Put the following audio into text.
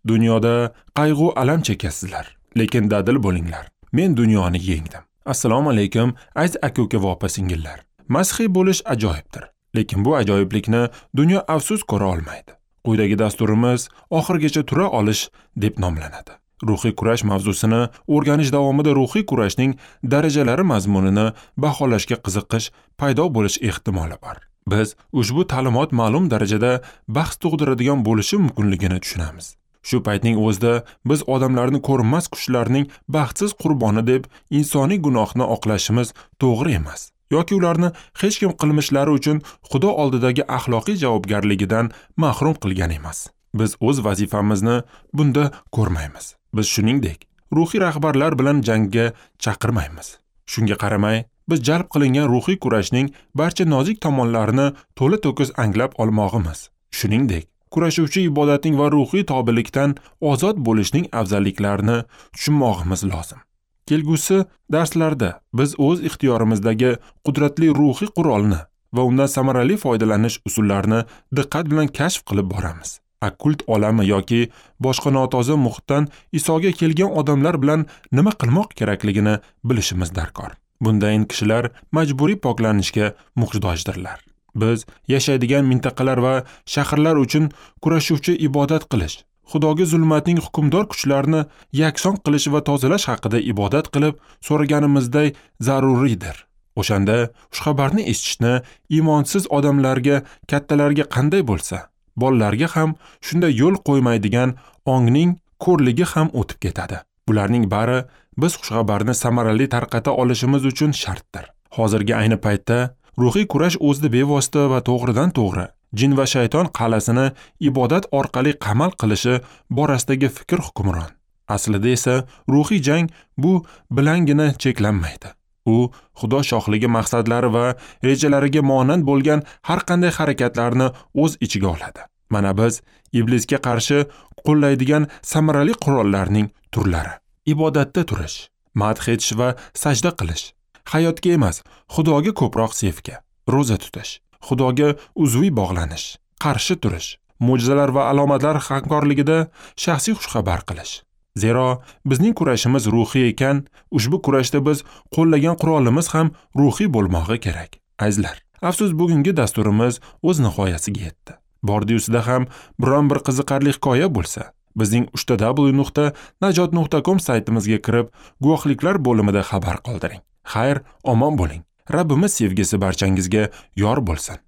Dunyoda qayg'u alam chekasizlar, lekin dadil bo'linglar. Men dunyoni yengdim. Assalomu alaykum, aziz aka-uka va opa-singillar. Masihiy bo'lish ajoyibdir, lekin bu ajoyiblikni dunyo afsus ko'ra olmaydi. Quyidagi dasturimiz oxirigacha tura olish deb nomlanadi. Ruhiy kurash mavzusini o'rganish davomida ruhiy kurashning darajalari mazmunini baholashga qiziqish paydo bo'lish ehtimoli bor. Biz ushbu ta'limot ma'lum darajada bahs tug'diradigan bo'lishi mumkinligini tushunamiz. Shu paytning o'zida biz odamlarni ko'rinmas kuchlarning baxtsiz qurboni deb insoniy gunohni oqlashimiz to'g'ri emas yoki ularni hech kim qilmishlari uchun Xudo oldidagi axloqiy javobgarligidan mahrum qilgan emas. Biz o'z vazifamizni bunda ko'rmaymiz. Biz shuningdek ruhiy rahbarlar bilan jangga chaqirmaymiz. Shunga qaramay, biz jalb qilingan ruhiy kurashning barcha nozik tomonlarini to'la-to'kis anglab olmog'imiz. Shuningdek, kurashuvchi ibodatning va ruhiy tobilikdan ozod bo'lishning afzalliklarini tushunmog'imiz lozim. Kelgusi darslarda biz o'z ixtiyorimizdagi qudratli ruhiy qurolni va undan samarali foydalanish usullarini diqqat bilan kashf qilib boramiz. Okkult olami yoki boshqa notoza muhitdan Isoga kelgan odamlar bilan nima qilmoq kerakligini bilishimiz darkor. Bundayin kishilar majburiy poklanishga muhtojdirlar. Biz yashaydigan mintaqalar va shaharlar uchun kurashuvchi ibodat qilish, Xudoga zulmatning hukmdor kuchlarini yakson qilish va tozalash haqida ibodat qilib so'raganimizday zaruriydir. O'shanda xushxabarni eshitishni iymonsiz odamlarga, kattalarga qanday bo'lsa, bolalarga ham shunday yo'l qo'ymaydigan ongning ko'rligi ham o'tib ketadi. Bularning bari biz xushxabarni samarali tarqata olishimiz uchun shartdir. Hozirgi ayni paytda ruhiy kurash o'zida bevosita va to'g'ridan to'g'ri jin va shayton qal'asini ibodat orqali qamal qilishi borasidagi fikr hukmron. Aslida esa ruhiy jang bu bilangina cheklanmaydi. U Xudo shohligi maqsadlari va rejalariga monand bo'lgan har qanday harakatlarni o'z ichiga oladi. Mana biz iblisga qarshi qo'llaydigan samarali qurollarning turlari: ibodatda turish, madh etish va sajda qilish, hayotga emas, Xudoga ko'proq sevgi, ro'za tutish, Xudoga uzviy bog'lanish, qarshi turish, mo'jizalar va alomatlar hamkorligida shaxsiy xushxabar qilish. Zero bizning kurashimiz ruhiy ekan, ushbu kurashda biz qo'llagan qurolimiz ham ruhiy bo'lmog'i kerak. Azizlar, afsus bugungi dasturimiz o'z nihoyasiga yetdi. Bordi-yusida ham biron bir qiziqarli hikoya bo'lsa, bizning www.najot.com saytimizga kirib, guvohliklar bo'limida xabar qoldiring. Xayr, omon bo'ling. Rabbimiz sevgisi barchangizga yor bo'lsin.